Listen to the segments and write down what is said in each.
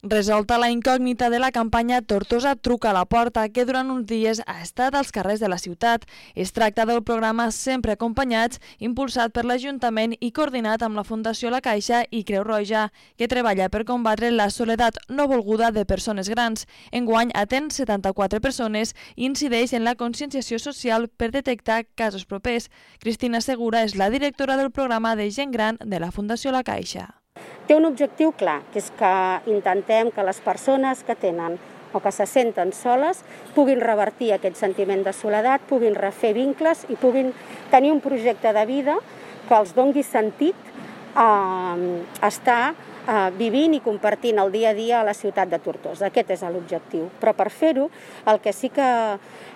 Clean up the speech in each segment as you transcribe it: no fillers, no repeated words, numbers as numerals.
Resolta la incògnita de la campanya Tortosa truca a la porta, que durant uns dies ha estat als carrers de la ciutat. Es tracta del programa Sempre Acompanyats, impulsat per l'Ajuntament i coordinat amb la Fundació La Caixa i Creu Roja, que treballa per combatre la soledat no volguda de persones grans. Enguany atén 74 persones i incideix en la conscienciació social per detectar casos propers. Cristina Segura és la directora del programa de gent gran de la Fundació La Caixa. Té un objectiu clar, que és que intentem que les persones que tenen o que se senten soles puguin revertir aquest sentiment de soledat, puguin refer vincles i puguin tenir un projecte de vida que els doni sentit a estar vivint i compartint el dia a dia a la ciutat de Tortosa. Aquest és l'objectiu. Però per fer-ho, el que sí que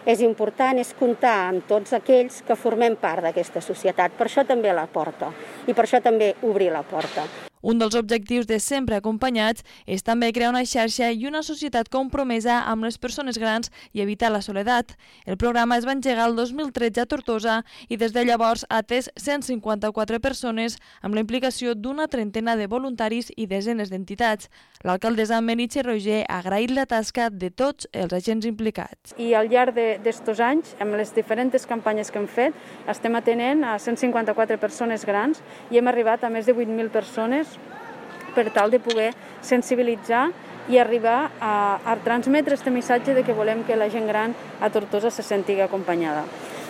és important és comptar amb tots aquells que formem part d'aquesta societat. Per això també la porta i per això també obrir la porta. Un dels objectius de Sempre Acompanyats és també crear una xarxa i una societat compromesa amb les persones grans i evitar la soledat. El programa es va engegar el 2013 a Tortosa i des de llavors ha atès 154 persones amb la implicació d'una trentena de voluntaris i desenes d'entitats. L'alcaldessa Meritxell Roger ha agraït la tasca de tots els agents implicats. I al llarg d'estos anys, amb les diferents campanyes que hem fet, estem atenent a 154 persones grans i hem arribat a més de 8.000 persones per tal de poder sensibilitzar i arribar a transmetre aquest missatge de que volem que la gent gran a Tortosa se senti acompanyada.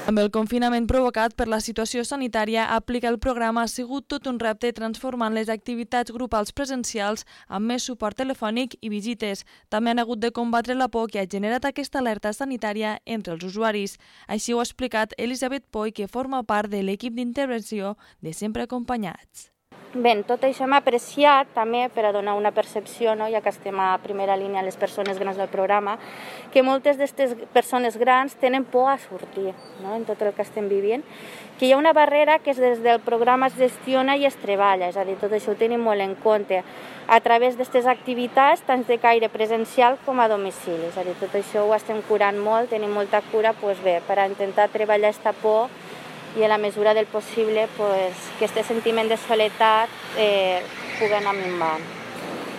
Amb el confinament provocat per la situació sanitària, aplicar el programa ha sigut tot un repte transformant les activitats grupals presencials amb més suport telefònic i visites. També han hagut de combatre la por que ha generat aquesta alerta sanitària entre els usuaris. Així ho ha explicat Elisabet Poi, que forma part de l'equip d'intervenció de Sempre Acompanyats. Bé, tot això m'ha apreciat també per a donar una percepció, ja que estem a primera línia les persones grans del programa, que moltes d'aquestes persones grans tenen por a sortir en tot el que estem vivint, que hi ha una barrera que des del programa es gestiona i es treballa, és a dir, tot això ho tenim molt en compte a través d'aquestes activitats, tant de caire presencial com a domicili, és a dir, tot això ho estem curant molt, tenim molta cura, per a intentar treballar aquesta por i a la mesura del possible que aquest sentiment de soledat pugui anar minvant.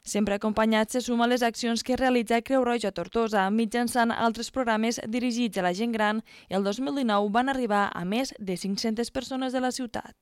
Sempre Acompanyats se suma a les accions que realitza Creu Roja a Tortosa mitjançant altres programes dirigits a la gent gran i el 2019 van arribar a més de 500 persones de la ciutat.